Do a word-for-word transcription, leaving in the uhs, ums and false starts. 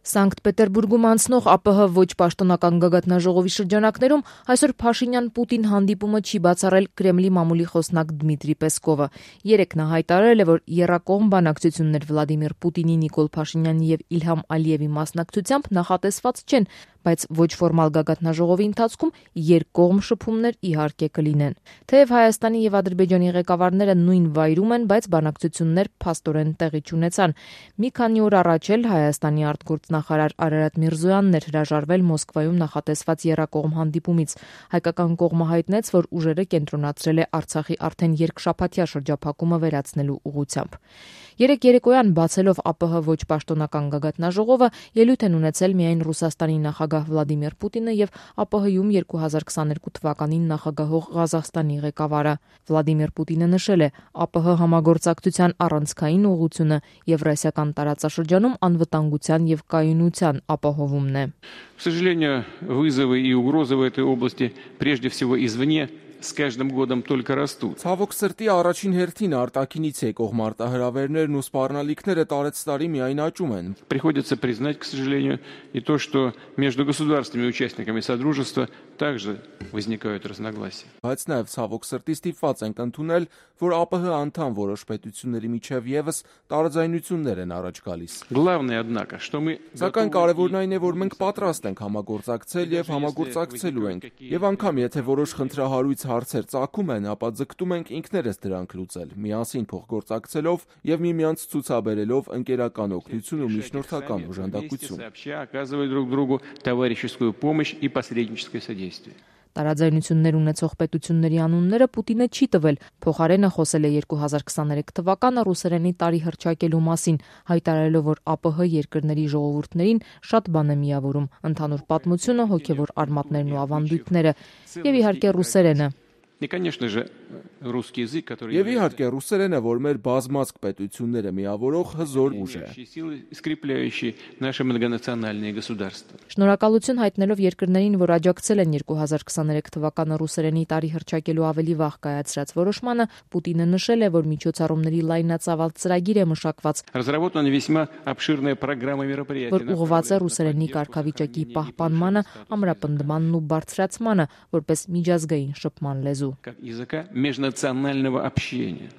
Սանկտ Պետերբուրգում անցնող ԱՊՀ ոչ պաշտոնական գագաթնաժողովի շրջանակներում այսօր Փաշինյան-Պուտին հանդիպումը չի բացառել Կրեմլի մամուլի խոսնակ Դմիտրի Պեսկովը։ Երեկ նա հայտարարել է, որ եռակողմ բանակցություններ Վլադիմիր Պուտինի, Նիկոլ Փաշինյանի եւ Իլհամ Ալիևի մասնակցությամբ նախատեսված չեն, բայց ոչ ֆորմալ գագաթնաժողովի ընթացքում երկկողմ շփումներ իհարկե կլինեն։ Թեև Հայաստանի եւ Ադրբեջանի ղեկավարները նույն վայրում են, բայց բանակցություններ փաստորեն տեղի չունեցան։ Մի քանի օր առաջ էլ Հայաստանի արտգործնախարար Արարատ Միրզոյանն էր հրաժարվել Մոսկվայում նախատեսված եռակողմ հանդիպումից։ Հայկական կողմը հայտնեց, որ ուժերը կենտրոնացրել է Արցախի արդեն երկշաբաթյա շրջափակումը վերացնելու ուղղությամբ։ Երեկ երեկոյան բացելով ԱՊՀ ոչ պաշտոնական գագաթնաժողովը ելույթ են ունեցել միայն Ռուսաստանի նախագահ Վլադիմիր Պուտինը եւ ԱՊՀ-ում երկու հազար քսաներկու թվականին նախագահող Ղազախստանի ղեկավարը։ Վլադիմիր Պուտինը նշել է, ԱՊՀ համագործակցության առանցքային ուղղությունը Եվրասիական տարածաշրջանում անվտանգության եւ կայունության ապահովումն է։ К сожалению, вызовы и угрозы в этой области прежде всего извне с каждым годом только растут. Ցավոք սրտի առաջին հերթին արտաքինից եկող մարտահրավերներն ու սպառնալիքները տարեց տարի միայն աճում են։ Приходится признать, к сожалению, и то, что между государственными участниками Содружества также возникают разногласия. Բայց նաև ցավոք սրտի ստիպված ենք ընդունել, որ ԱՊՀ անդամ որոշ պետությունների միջև եւս տարաձայնություններ են առաջ գալիս։ Главное, однако, что мы Սակայն կարևորն այն է, որ մենք պատրաստ ենք համագործակցել եւ համագործակցելու ենք։ Եվ անգամ եթե որոշ խնդրահարույց հարցեր ծագում են, ապա ձգտում ենք ինքներս դրանք լուծել, միասին փոխգործակցելով եւ միմյանց ցուցաբերելով ընկերական օգնություն ու միջնորդական օժանդակություն։ Оказывать друг другу товарищескую помощь и посредническое содействие. Տարաձայնություններ ունեցող պետությունների անունները Պուտինը չի տվել, փոխարենը խոսել է երկու հազար քսաներեք թվականը ռուսերենի տարի հռչակելու մասին, հայտարարելով, որ ԱՊՀ երկրների ժողովուրդներին շատ բան է միավորում՝ ընդհանուր պատմությունը, հոգևոր արմատներն ու ավանդույթները եւ իհարկե ռուսերենը։ И, конечно же, русский язык, который Եվ իհարկե ռուսերենը, որ մեր բազմազգ պետությունները միավորող հզոր ուժ է։ силы, скрепляющие наши многонациональные государства. Շնորհակալություն հայտնելով երկրներին, որ աջակցել են երկու հազար քսաներեք թվականը ռուսերենի տարի հռչակելու ավելի վաղ կայացրած որոշմանը, Պուտինը նշել է, որ միջոցառումների լայնածավալ ծրագիր է մշակված, Разработана весьма обширная программа мероприятий. որ ուղղված է ռուսերենի կարգավիճակի պահպանմանը, ամրապնդմանն ու բարձրացմանը, որպես միջազգային շփման լեզու։ Как языка межнационального общения.